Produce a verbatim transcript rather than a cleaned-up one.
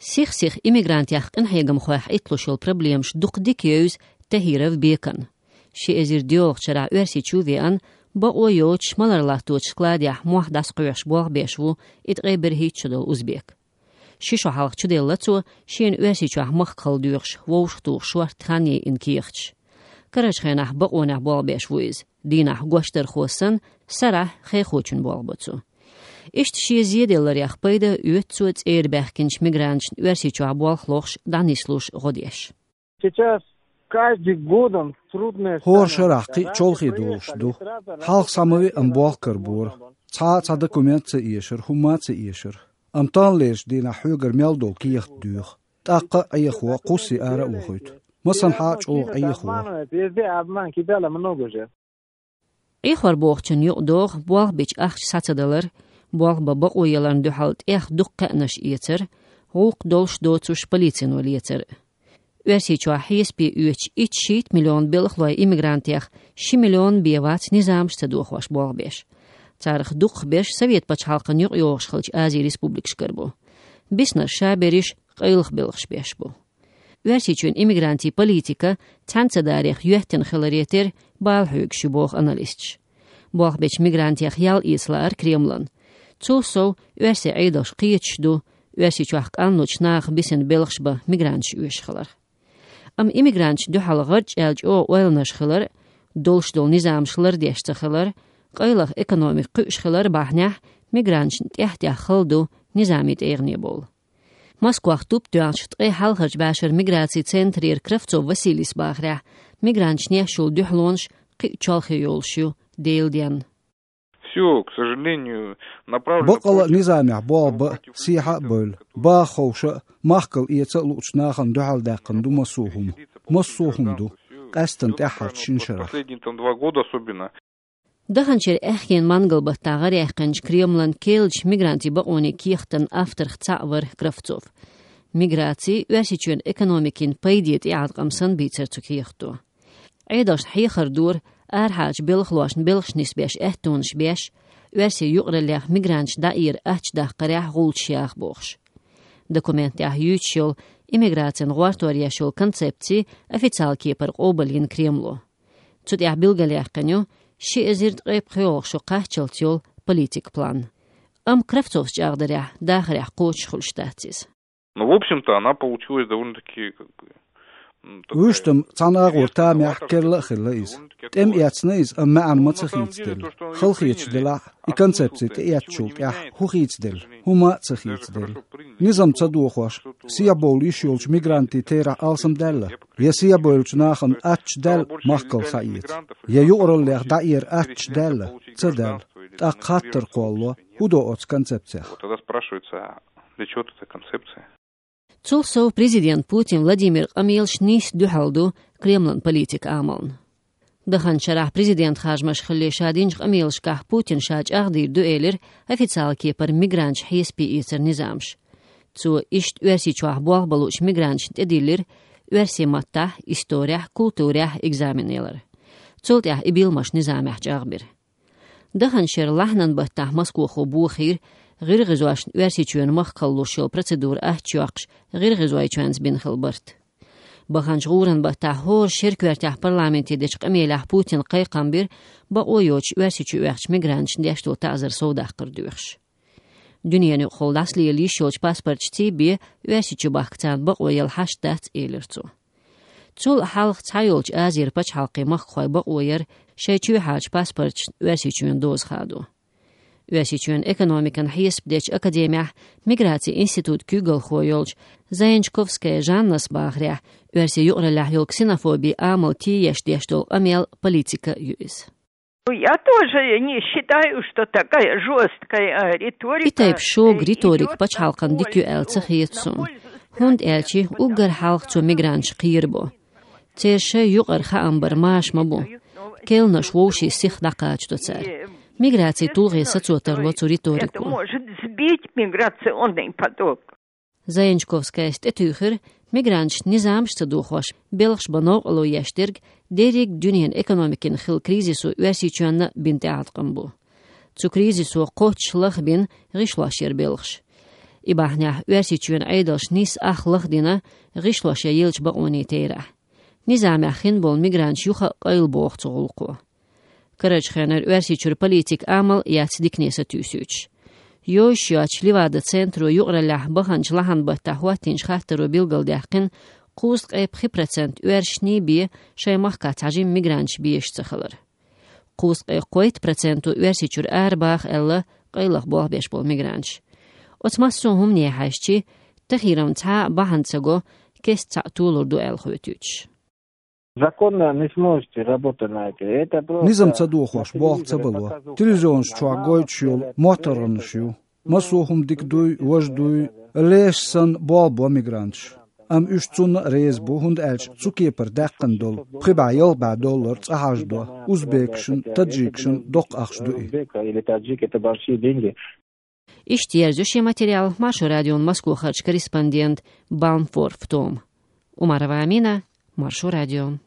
Сих-сиха иммигрантех къинхьегамхойх Ӏитталуш йолу проблемаш дукха дика евза Тахиров Бекана. Ши эзар доьалгӀачу шарахь Оьрсийчу веана, бакъо йоцуш малар латточу складехь мохь дӀасакхоьхьуш болх беш ву и ткъе берхӀитта шо долу узбек. Ши шо хьалха чуделла цо шена Оьрсийчохь махкахула доьхуш, вовшахтухуш шорта хан йайина кехаташ. Карарчу хенахь бакъонехь болх беш ву иза. Дийнахь гочдархо санна, сарахь хехочун болх бо цо. Иштта шен зеделларех пайда оьцу цо цӀера баьхкинчу мигранташна Оьрсийчохь болх лохуш дӀанислуш гӀо деш. Сейчас каждый годом трудное. ХӀора шарахь кхин а чолхе долуш ду. Хьалха схьа ма веа, амма болх карабора. Цхьа а цхьа документ ца эшара, хӀумма а ца эшара. Амма таханлерчу дийнахь хьоьгара мел долу кехат доьху. ТӀаккха а Ӏехо, кхуссий ара а вохуьйту. Масанхьа а чӀогӀа Ӏехо. Обманывает, везде обман, кидала много же. Ӏехор бохучун юкъадогӀу болх бечу ахча схьа ца далар, болх бан бакъо яларна дуьхьал тӀех дукха кхаьънаш эцар, гӀуллакх долуш доцуш полицино лецар. Оьрсийчохь хьесапе оьцуш итт-шийтта миллион белхалой иммигрантех ши миллион бен вац низамаш ца дохош болх беш. Царах дукхахберш Совет пачхьалкхан юкъайогӀуш хиллачу Азин республикашкара бу. Биснарш ша берриш къайлаха белхаш беш бу. Оьрсийчоьнан иммигрантийн политика цхьаьна ца дарех йоьттина хиларе терра бала хьоьгуш ю, боху аналисташа. Болх бечу мигрантех ял эца лаар Кремлан. Цул сов, оьрсийн Ӏедалш кхеташ ду, Оьрсийчохь къанлучу наха бисина белхаш бан мигранташ оьшуш хиларх. Амма иммигранташна дуьхьал гӀарчӀ аьлла чӀогӀа ойланаш хилар, долуш долу низамаш лардеш ца хилар, къайлаха экономика кхуьуш хилар бахьанехь мигранташна тӀехь-тӀехь хала ду низамийн тӀегӀане бовла. Москвахь туп тоьхначу ткъе хьалхарчу бӀешаран миграцин центрера Кравцов Василийс бахарехь, мигранташна еш йолу дуьхьалонаш кхин а чолхе йолуш ю Делан денна. Всё, к сожалению, направлено. Баккъала а против, низамехь болх бан, против сехьа а бевлла, баха ховша а, махкал эца а луучу нахана дуьхьал даьккхина ду массо а хӀума. Массо а хӀума ду, къаьсттина тӀаьххьарчу шина шарахь. Последние там два года особенно. Даханчеран аьхкенан мангал баттахь гӀараяьккхинчу Кремлан керлачу мигрантийн бакъонийн кехатан авторх цхьаъ вара Кравцов. Миграци Оьрсийчоьнан экономикин пайде тӀеӀаткъам санна бийцира цу кехато. Ӏедалшна хьехар дора, арахьарчу белхалошна белхаш нисбеш аьттонаш беш, оьрсийн юкъараллех мигранташ дӀаэра аттачу даккхарехь гӀулчаш яха бохуш. Документехь юьйцуш йолу иммиграцин гӀортор еш йолу концепци официал кепара къобалйина Кремло. Цу тӀехь билгалъяьккхина ю ши эзар ткъе пхоьалгӀа шо кхаччалц йолу политикан план. Амма Кравцовс чӀагӀдарехь, дахарехь кхочуш хуьлуш дац иза. Ну, в общем-то, она получилась довольно-таки, как бы, м, такая. Вуьш там цхьана агӀор тамехь керла а хилла иза. ТӀем эцна иза, амма маьӀна ма ца хийцаделла. Хала хеташ делахь, и концепци тӀеэцначул тӀаьхьа хӀун хийцаделла, хӀума а ца хийцаделла. Низам ца дохош, сехьабовла йиш йолчу мигрантийн терахь алсамдаьлла, я сехьабевллачу нахана аттачу даьлла махкал схьаэца, я юкъараллех дӀаэра аттачу даьлла, ца даьлла. ТӀаккха хаттар кхоллало, хӀун до оцу концепцех? Вот тогда спрашивается, а для чего эта концепция? Цул сов, президент Путин Владимиран къамелаш нийсса дуьхьал ду Кремлан политикан амална. Даханчу шарахь президентан харжамаш хилале ша динчу къамелашкахь Путина ша чӀагӀдийр ду элира официал кепара мигранташ хьесапе эцаран низамаш. Цо иштта Оьрсийчохь болх бан луучу мигранташна тӀедиллира оьрсийн маттахь, исторехь, культурехь экзамен ялар. Цул тӀаьхьа и билмаш низамехь чӀагӀбира. Даханчу шеран лахьанан баттахь Москохо бохийра, гӀиргӀазошна Оьрсийчоьнан махкахула луш йолу процедура аттачу йоккхуш, гӀиргӀазойчоьнца бина хилла барт. Баханчу гӀуран баттахь хӀора шеран коьртехь парламенте дечу къамелехь Путина кхайкхам бира, бакъо йоцуш Оьрсийчу оьхучу мигранташна деш долу таӀзар совдаккхар доьхуш. Дуьненаюкъахула дӀасалела йиш йолчу паспорташций бен Оьрсийчу бахка царна бакъо яла хьашт дац, элира цо. Цул а хьалха цхьайолчу Азера пачхьалкхийн махкахой бакъо яра шайн чоьхьарчу паспорташна Оьрсийчоьнан доза хадо. Оьрсийчоьнан экономикан хьесап дечу академехь миграцин институтан куьйгалхо йолчу Заянчковская Жаннас бахарехь, оьрсийн юкъараллехь йолу ксенофобин амал тиеш деш долу къамел, политика ю иза. Я тоже не считаю, что такая жёсткая риторика. И тайпа шога риторика пачхьалкхан дика ю аьлла ца хета суна. ХӀунда аьлча уггар хьалха цо мигранташ кхерабо. Церан шайн юкъара хаам бар маша ма бу. Керланаш вовшийн сиха дӀакхачадо цара. Миграцин тулгӀе сацо тарло цу риторико. Это может сбить миграционный поток. Заянчковскаяс тӀетуьйхира, мигранташна низамаш ца дохош, белхаш бан новкъарло еш дерг дерриг дуьненан экономикин хилла кризисо Оьрсийчоьнна бина тӀеӀаткъам бу. Цу кризисо кхоччуш лахбина гӀишлош яра белхаш. И бахьанехь Оьрсийчоьнан Ӏедалш нийсса ах лахдина гӀишлошъеллачу бакъонийн терахь. Низамехь хин болу мигранташ юха а къайла боху цу гӀуллакхо. Карарчу хенара Оьрсийчуьра политика амал яц дикане сатуьйсуьйтуш. Йовзуш йоцчу Ливада центро юкъараллехь баханчу лахьанан баттахь хӀоттийначу хаттаро билгалдаьккхина, кхузткъе пхи процент оьрсашний бен шайн махкахь цхьа жимма мигранташ безаш ца хилар. Кхузткъе кхойтта проценто Оьрсийчуьра арабаха аьлла къайлаха болх беш болу мигранташ. Оцу массо а хӀумане хьаьжча, тахийрам цхьа а бахьана ца го, кеста цхьаъ толур ду аьлла хоьтуьйтуш. Законно не сможете работать на это. Это просто... Низам ца дохош, болх ца бало. Телевизионаш чохь гойтуш йолу моттаргӀанаш ю. Массо а хӀума дика дуй, важа дуй, леш санна болх бо мигранташ. Амма уьш цунна а реза бу, хӀунда аьлча цу кепара даьккхина долу, пхи бӀе, ялх бӀе доллар цкъа хьажадо, узбекашна, таджикашна доккха ахча ду и. Узбек или таджик, это большие деньги. Иштта ерзайо шен материал Маршо радион Москвахарчу корреспондент Баумфорф Тома. Умарова Амина, Маршо радио.